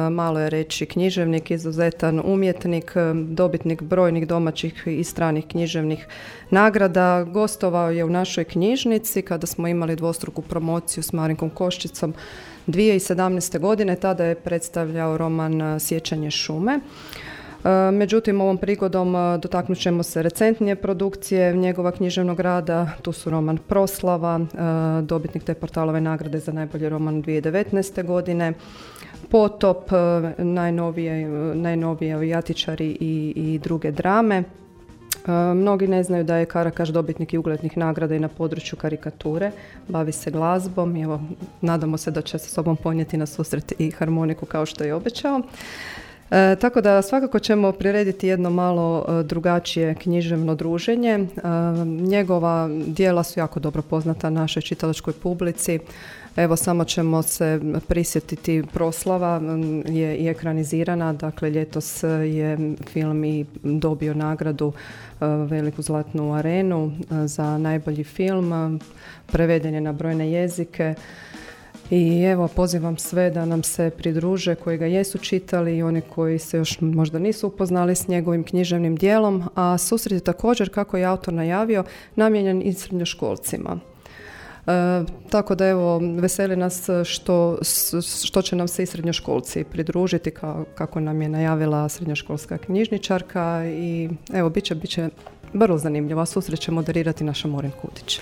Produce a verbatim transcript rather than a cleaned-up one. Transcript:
malo je reći, književnik, izuzetan umjetnik, dobitnik brojnih domaćih i stranih književnih nagrada. Gostovao je u našoj knjižnici kada smo imali dvostruku promociju s Marinkom Koščicom dvije tisuće sedamnaeste. godine. Tada je predstavljao roman Sjećanje šume. Međutim, ovom prigodom dotaknut ćemo se recentnije produkcije njegova književnog rada. Tu su roman Proslava, dobitnik te portalove nagrade za najbolji roman dvije tisuće devetnaeste. godine, Potop, najnovije, najnovije Avijatičari i, i druge drame. Mnogi ne znaju da je Karakaš dobitnik i uglednih nagrada i na području karikature, bavi se glazbom i evo, nadamo se da će sa sobom ponijeti na susret i harmoniku kao što je obećao. E, tako da svakako ćemo prirediti jedno malo e, drugačije književno druženje. E, njegova djela su jako dobro poznata našoj čitalačkoj publici. Evo, samo ćemo se prisjetiti Proslava je i ekranizirana, dakle ljetos je film i dobio nagradu e, veliku zlatnu arenu e, za najbolji film, preveden je na brojne jezike. I evo, pozivam sve da nam se pridruže koji ga jesu čitali i oni koji se još možda nisu upoznali s njegovim književnim djelom, a susret je također, kako je autor najavio, namijenjen i srednjoškolcima. E, tako da evo, veseli nas što, što će nam se i srednjoškolci pridružiti, kao, kako nam je najavila srednjoškolska knjižničarka i evo, bit će, bit će vrlo zanimljivo, a susret će moderirati naša Morin Kudić.